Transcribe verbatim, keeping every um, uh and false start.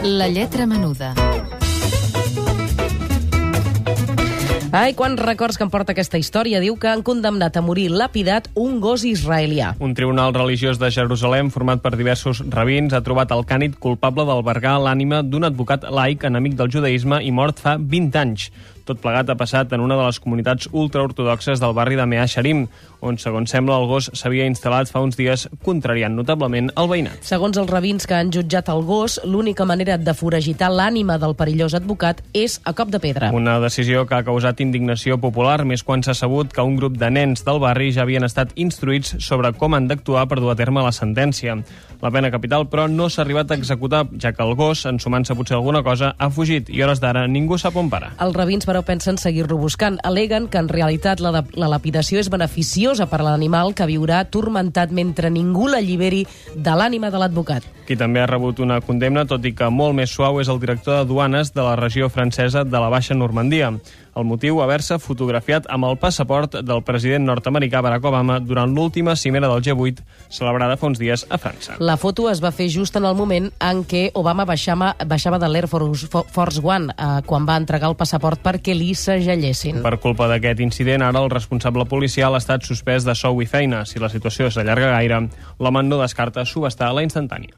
La lletra menuda. Ai, quants records que em porta aquesta història. Diu que han condemnat a morir lapidat un gos israelià. Un tribunal religiós de Jerusalem, format per diversos rabins, ha trobat el cànid culpable d'albergar l'ànima d'un advocat laic enemic del judaïsme i mort fa vint anys. Tot plegat ha passat en una de les comunitats ultraortodoxes del barri de Mea Shearim, on, segons sembla, el gos s'havia instal·lat fa uns dies, contrariant notablement el veïnat. Segons els rabins que han jutjat el gos, l'única manera de foragitar l'ànima del perillós advocat és a cop de pedra. Una decisió que ha causat indignació popular, més quan s'ha sabut que un grup de nens del barri ja havien estat instruïts sobre com han d'actuar per dur a terme la sentència. La pena capital, però, no s'ha arribat a executar, ja que el gos, ensumant-se potser alguna cosa, ha fugit i, a hores d'ara, ningú sap on para. Els rabins, però, pensen seguir-lo buscant. Aleguen que, en realitat, la, la lapidació és beneficiosa per a l'animal, que viurà turmentat mentre ningú l'alliberi de l'ànima de l'advocat. Qui també ha rebut una condemna, tot i que molt més suau, és el director de duanes de la regió francesa de la Baixa Normandia. El motiu, haver-se fotografiat amb el passaport del president nord-americà Barack Obama durant l'última cimera del G vuit, celebrada fa uns dies a França. La foto es va fer just en el moment en què Obama baixava, baixava de l'Air Force, Force One, eh, quan va entregar el passaport perquè li segellessin. Per culpa d'aquest incident, ara el responsable policial ha estat suspès de sou i feina. Si la situació s'allarga gaire, l'home no descarta subhastar la instantània.